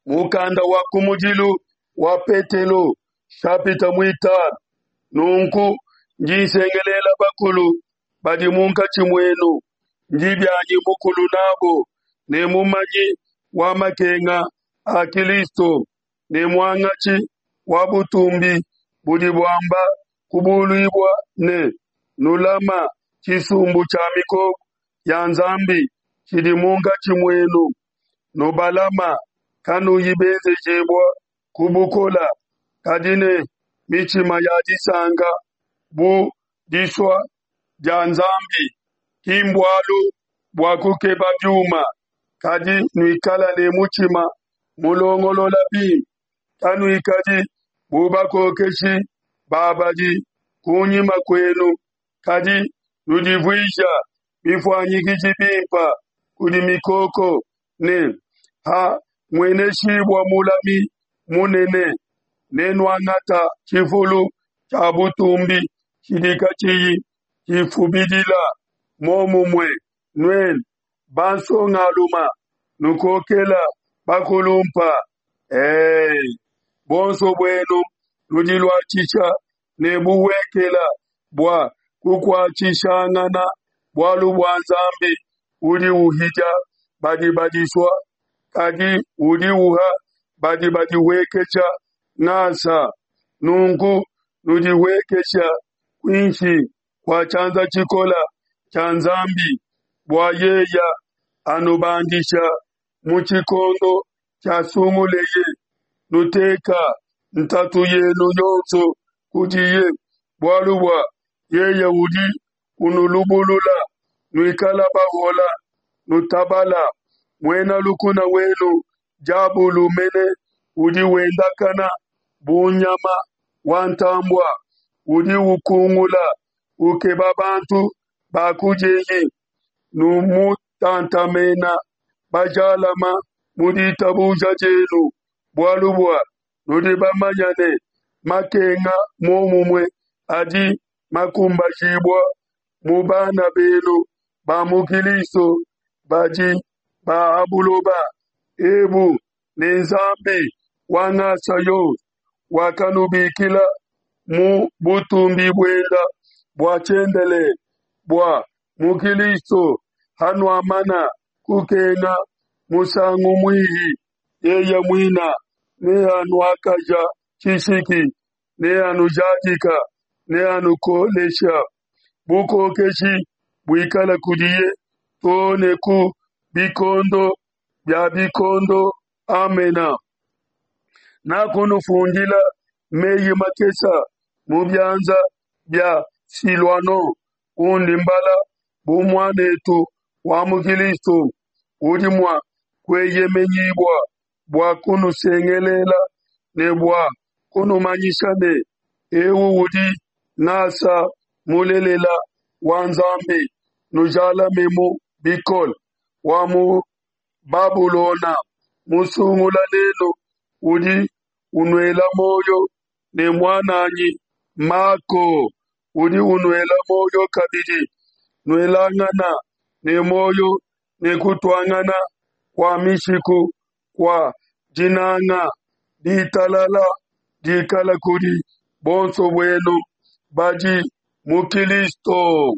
Mukanda wa kumudilu wa Petelo, shapita muitanu. Nunku ndi nsengelela bakulu badi munkatshi muenu, ndi bianyi mukulu nabo ne mumanyi wa makenga a Kilisto ne muangatshi wa butumbi budi buamba kubuluibua ne, nulama tshisumbu tshia mikoko ya Nzambi tshidi munkatshi muenu, nubalama kanuyi benzejibua ku bukola, kadi ne mitshima ya disanka bu disua dia Nzambi, ki mbualu bua kukeba biuma, kadi nuikala ne mutshima mulongolola bimpe, kanuikadi bu bakokeshi ba badi kunyima kuenu, kadi nudivuija bifuanyikiji bimpe kudi mikoko ne ha mueneshibua mulami munene, nenuangata tshifulu tshia butumbi tshidi katshiyi tshifubidila. Momumue nuenu bansongaluma, nukokela bakulumpa. Ee, buonso buenu nudiluatshisha ne buhuekela bua kukuatshishangana bualu bua Nzambi udi uhidia badi badisua, kadi udi uha badi badihuekesha ngasa. Nunku nudihuekesha kuinshi kua tshianza tshikola tshia Nzambi, bua yeya anubandisha mu tshikondo tshiasunguleye. Nuteka ntatu yenu yonso kudiye, bualu bua yeye udi unulubulula. Nuikala bahola, nutabala. Muena lukuna wenu diabulu mene udi wendakana bu nyama wa ntambua, udi ukungula ukeba bantu ba kudieye. Numutantamena bajalama mu ditabuja dienu, bualu bua nudi bamanya ne makenga momumue adi makumbajibua mu bana benu ba mu Kilisto badi ba ha buloba ebu, ne Nzambi wa ngasa yonso wakanubikila mu butumbi buenda bua tshiendelele bua mu Kilisto, hanuamana kukenga musangu muihi, yeye muina neanuakaja tshishiki, neanujadika, neanukolesha. Bukokeshi buikala kudiye too ne ku bikondo bia bikondo. Amena. Nakunufundila meyi makesa mu bianza bia Siluano, undi mbala bu muanetu wa mu Kilisto, udi mua kueyemenyibua bua kunusengelela ne bua kunumanyisha ne, eu udi ngasa mulelela wa Nzambi. Nujalamemu bikole. Wa mu Babulona musungula nenu udi unuela muoyo, ne muananyi Mako udi unuela muoyo kabidi. Nuelangana ne muoyo ne kutuangana kua mishiku kua dinanga. Ditalala dikala kudi bonso buenu badi mu Kilisto.